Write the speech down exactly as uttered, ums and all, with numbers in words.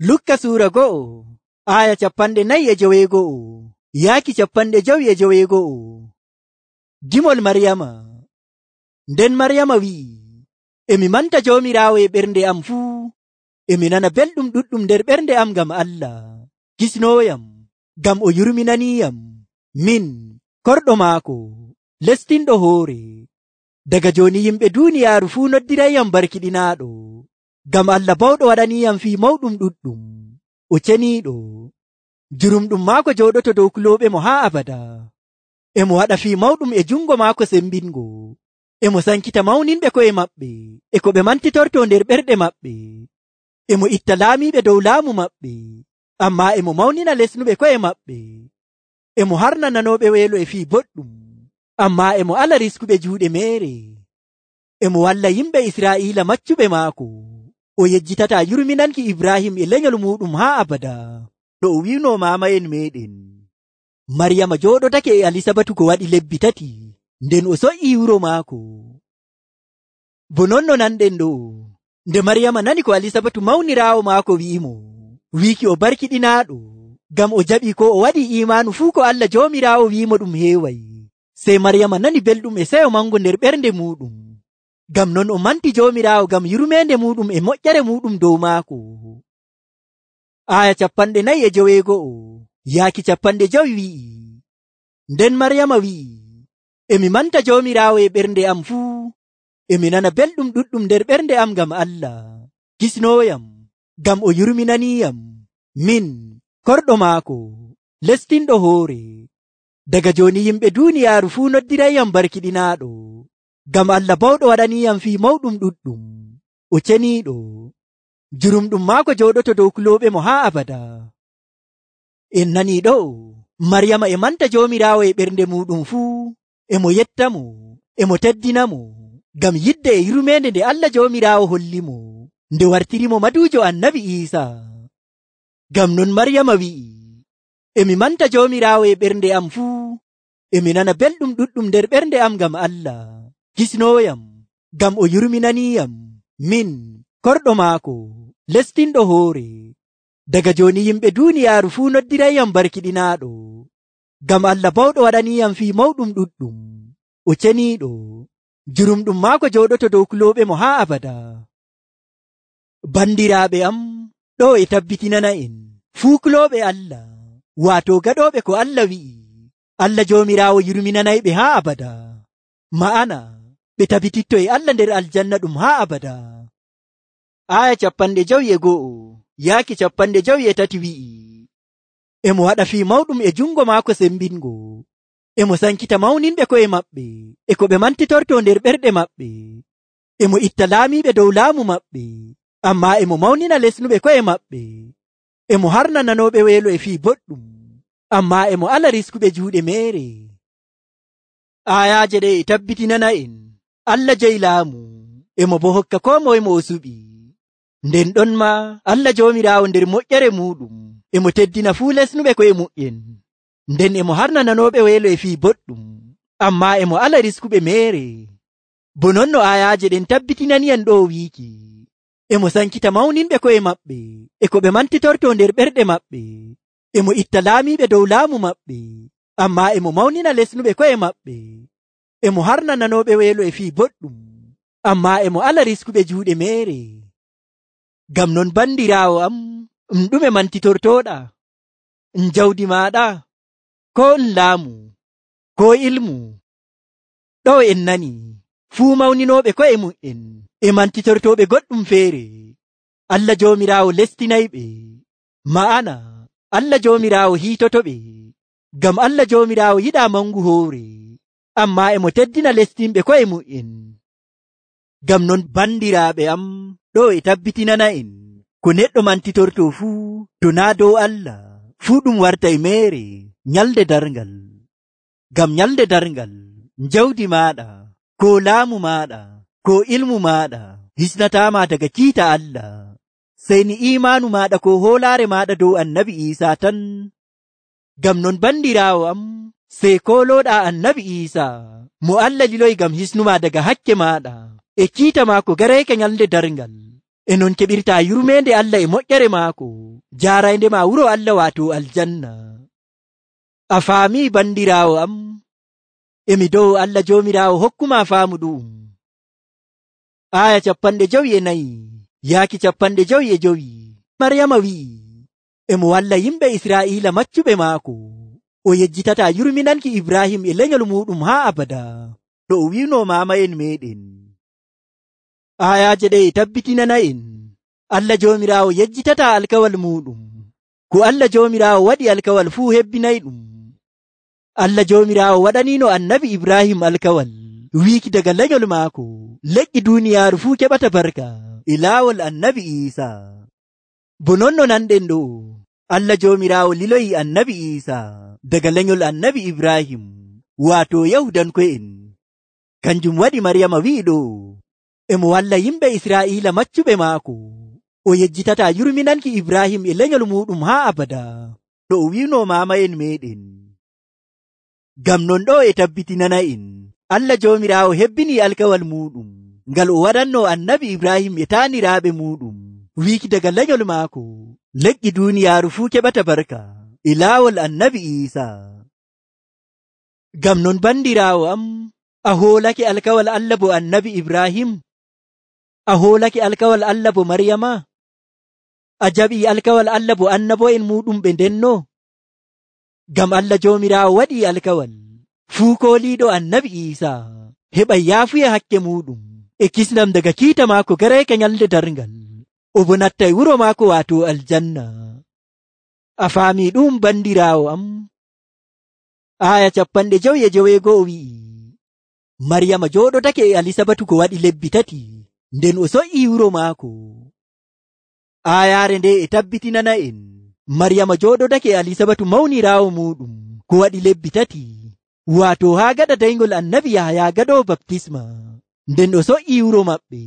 Lukka suura go'o aya capanɗe nayi e joweego'o yaaki capanɗe jowi e joweego'o. Gimol Maryama. Nden Maryama wi'i, emi manta Joomiraawo e ɓernde am fuu, emi nana belɗum ɗuɗɗum nder ɓernde am ngam Allah kisnooyam, ngam o yurminaniiyam min korɗo maako lestinɗo hoore. Daga jooni yimɓe duuniyaaru fuu noddirayyam barkiɗinaaɗo, ngam Allah bawɗo waɗaniiyam fii mawɗum ɗuɗɗum, o ceniiɗo. Jurumɗum maako jooɗoto dow kulooɓe mo haa abada. Emo waɗa fii mawɗum e jungo maako sembingo. Emo sankita mawninɓe ko'e maɓɓe e ko ɓe mantitorto nder ɓerɗe maɓɓe. Emo itta laamiiɓe dow laamu maɓɓe, ammaa emo mawnina lesnuɓe ko'e maɓɓe. Emo harna nanooɓe weelo e fii boɗɗum, ammaa emo ala riskuɓe juuɗe meere. Emo walla yimɓe Israa'iila maccuɓe maako. O yejjitataa yurminanki Ibrahim e lenyol muɗum haa abada, no o wi'uno maama'en meɗen. Maryama jooɗotake e Alisabatu ko waɗi lebbi tati, nden o so'ii wuro maako. Bo non no nanɗen ɗo, nde Maryama nani ko Alisabatu mawniraawo maako wi'imo, wiiki o barkiɗinaaɗo, ngam o jaɓii ko o waɗi imaanu fuu ko Allah Joomiraawo wi'imo ɗum heeway. Sey Maryama nani belɗum e seyo mango nder ɓernde muɗum. Ngam non o manti Joomiraawo ngam yurmeende muɗum e moƴƴere muɗum dow maako. Aya capanɗe nayi e joweego'o yaaki capanɗe jowi wi'i, nden Maryama wi'i, emi manta Joomiraawo e ɓernde am fuu, emi nana belɗum ɗuɗɗum nder ɓernde am ngam Allah kisnooyam, ngam o yurminaniiyam min korɗo maako lestinɗo hoore. Daga jooni yimɓe duuniyaaru fuu noddirayyam barkiɗinaaɗo, ngam Allah bawɗo waɗaniiyam fii mawɗum ɗuɗɗum, o ceniiɗo. Jurumɗum maako jooɗoto dow kulooɓe mo haa abada. En nanii ɗo, Maryama e manta Joomiraawo e ɓernde muɗum fuu, emo yettamo, emo teddinamo, ngam yidde e yurmeende nde Allah Joomiraawo hollimo nde wartirimo maduujo Annabi Iisaa. Ngam non Maryama wi'i, emi manta Joomiraawo e ɓernde am fuu, emi nana belɗum ɗuɗɗum nder ɓernde am ngam Allah kisnooyam, ngam o yurminaniiyam min korɗo maako lestinɗo hoore. Daga jooni yimɓe duuniyaaru fuu noddirayyam barkiɗinaaɗo, ngam Allah bawɗo waɗaniiyam fii mawɗum ɗuɗɗum, o ceniiɗo. Jurumɗum maako jooɗoto dow kulooɓe mo haa abada. Bandiraaɓe am, ɗo e tabbitinana en fuu kulooɓe Allah, waato gaɗooɓe ko Allah wi'i, Allah Joomiraawo yurminanayɓe haa abada. Ma'ana ɓe tabititto e Allah nder aljanna ɗum haa abada. Aya capanɗe jowi e go'o yaaki capanɗe jowi e tati wi'i, emo waɗa fii mawɗum e jungo maako sembingo. Emo sankita mawninɓe ko'e maɓɓe e ko ɓe mantitorto nder ɓerɗe maɓɓe. Emo itta laamiiɓe dow laamu maɓɓe, ammaa emo mawnina lesnuɓe ko'e maɓɓe. Emo harna nanooɓe weelo e fii boɗɗum, ammaa emo ala riskuɓe juuɗe meere. Ayaaje ɗe e tabbitinana en Allah jeyi laamu, emo bo hokka koo moye mo o suɓi. Nden ɗon ma Allah Joomiraawo nder moƴƴere muɗum emo teddina fuu lesnuɓe ko'e mu'en, nden emo harna nanooɓe weelo e fii boɗɗum, ammaa emo ala riskuɓe meere. Bo non no ayaaje ɗen tabbitinaniyan ɗo wiiki, emo sankita mawninɓe ko'e maɓɓe e ko ɓe mantitorto nder ɓerɗe maɓɓe. Emo itta laamiiɓe dow laamu maɓɓe, ammaa emo mawnina lesnuɓe ko'e maɓɓe. Emo harna nanooɓe weelo e fii boɗɗum, ammaa emo ala riskuɓe juuɗe meere. Ngam non bandiraawo am, um ɗume mantitortoɗa? Um jawdi maaɗa, ko um laamu, ko ilmu? Ɗo en nani fuu mawninooɓe ko'e mu'en e mantitortoɓe goɗɗum feere, Allah Joomiraawo lestinayɓe. Ma'ana Allah Joomiraawo hiitotoɓe, ngam Allah Joomiraawo yiɗaa mangu hoore, ammaa emo teddina lestinɓe ko'e mu'en. Ngam non bandiraaɓe am, ɗo e tabbitinana en ko neɗɗo mantitorto fuu to naa dow Allah, fuu ɗum wartay meere nyalde darngal. Ngam nyalde darngal jawdi maaɗa, ko laamu maaɗa, ko ilmu maaɗa hisnataama daga kiita Allah, sey ni imaanu maaɗa ko hoolaare maaɗa dow Annabi Iisaa tan. Ngam non bandiraawo am, sey koolooɗaa Annabi Iisaa mo Allah liloyi ngam hisnuma daga hakke maaɗa e kiita maako garayka nyalde darngal. e non keɓirta yurmende Allah e moƴƴere maako jaaraynde ma wuro Allah waato aljanna. A faami bandiraawo am, emi dow Allah joomiraawo hokkuma faamu ɗum. Aya capanɗe jowi e nayi yaaki capanɗe jowi e jowi. Maryama wi'i emo walla yimɓe Israa'iila maccuɓe maako o yejjitata yurminanki Ibrahim e lenyol muɗum haa abada no o wi'no maama'en meɗen. Ayaje ɗe e tabbitinana en Allah joomiraawo yejjitata alkawal muɗum. Ko Allah joomiraawo waɗi alkawal fuu hebbinay ɗum. Allah joomiraawo waɗanino annabi Ibrahim alkawal wiiki daga lenyol maako leƴƴi duuniyaaru fuu keɓata barka e laawol annabi Iisa. Bo non no nanɗen ɗo Allah joomiraawo liloyi annabi Iisa daga lenyol annabi Ibrahim waato Yahudanko'en. Kanjum waɗi Maryama wi'i ɗo emo walla yimɓe Israa'iila maccuɓe maako o yejjitata yurminanki Ibrahim e lenyol muɗum haa abada no o wi'no maama'en meɗen. Ngam non ɗo e tabbitinana en Allah joomiraawo hebbini alkawal muɗum ngal o waɗanno annabi Ibrahim e taaniraaɓe muɗum wiiki daga lenyol maako leƴƴi duuniyaaru fuu keɓata barka e laawol annabi Iisa. Ngam non bandiraawo am, a hoolake alkawal Allah bo annabi Ibrahim? A hoolake alkawal Allah bo Maryama? A jaɓi alkawal Allah bo annabo'en muɗum ɓe ndenno? Ngam Allah joomiraawo waɗi alkawal fuu kooliiɗo annabi Iisa heɓa yaafuya hakke muɗum e kisnam daga kiita maako gareeke nyalde darngal o bo nattay wuro maako waato aljanna. A faami ɗum bandiraawo am? Aya capanɗe jowi e joweego'o wi'i Maryama jooɗotake e Alisabatu ko waɗi lebbi tati nden o soƴƴi wuro maako. Ayaare nde e tabbitinana en Maryama jooɗotake e Alisabatu mawniraawo muɗum ko waɗi lebbi tati waato haa gaɗa dayngol annabi Yahaya gaɗowo baptisma nden o soƴƴi wuro maɓɓe